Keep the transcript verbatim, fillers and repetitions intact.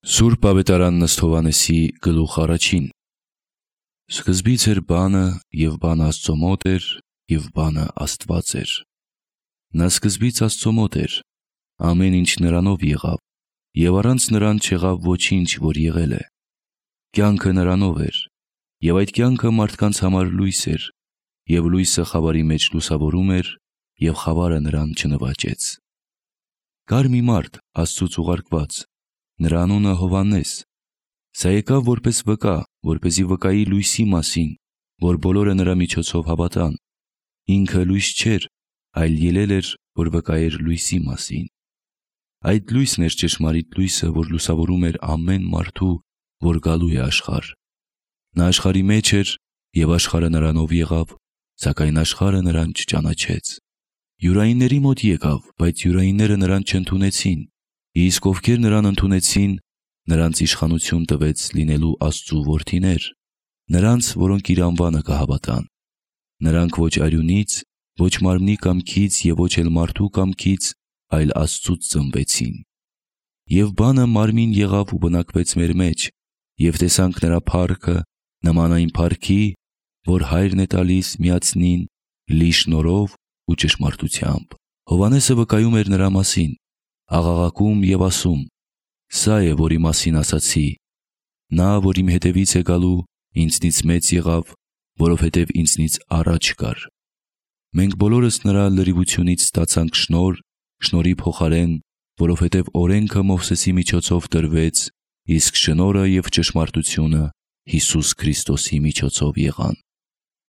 Սուրբ Ավետարան Ըստ Հովհաննեսի գլուխ առաջին։ Սկզբից էր բանը, և բանը Աստծո մոտ էր, և բանը Աստված էր։ Նա սկզբից Աստծո մոտ էր, ամեն ինչ նրանով եղավ, և առանց նրան չեղավ ոչինչ, որ եղել է։ Կյանքը նրանով էր, և այդ կյանքը մարդկանց համար լույս էր, և լույսը խավարի մեջ լուսավորում էր, և խավարը նրան չնվաճեց։ Կար մի մարդ Աստծուց ուղարկված, նրա անունը Հովհաննես։ Սա եկավ որպես վկա, որպեսզի վկայի լույսի մասին, որ բոլորը նրա միջոցով հավատան։ Ինքը լույս չէր, այլ ելել էր, որ վկայեր լույսի մասին։ Այդ լույսն էր ճշմարիտ լույսը, որ լուսավորում էր ամեն մարդու, որ գալու է աշխարհ։ Նա աշխարհի մեջ էր, և աշխարհը նրանով եղավ, սակայն աշխարհը նրան չճանաչեց։ Յուրայինների մոտ եկավ, բայց յուրայինները նրան չընդունեցին։ Իսկ ովքեր նրան ընդունեցին, նրանց իշխանություն տվեց լինելու Աստծու որդիներ, նրանց, որոնք իր անվանը կհավատան։ Նրանք ոչ արյունից, ոչ մարմնի կամքից և ոչ էլ մարդու կամքից, այլ Աստծուց ծնվեցին։ Եվ բանը մարմին եղավ ու բնակվեց մեր մեջ, և տեսանք նրա փառքը, նման այն փառքի, որ Հայրն է տալիս միածնին, լի շնորհով ու ճշմարտությամբ։ Հովհաննեսը վկայում էր նրա մասին, աղաղակում և ասում. «Սա է, որի մասին ասացի. նա, որ իմ հետևից է գալու, ինձնից մեծ եղավ, որովհետև ինձնից առաջ կար»։ Մենք բոլորս նրա լրիվությունից ստացանք շնորհ շնորհի փոխարեն, որովհետև օրենքը Մովսեսի միջոցով տրվեց, իսկ շնորհը և ճշմարտությունը Հիսուս Քրիստոսի միջոցով եղան։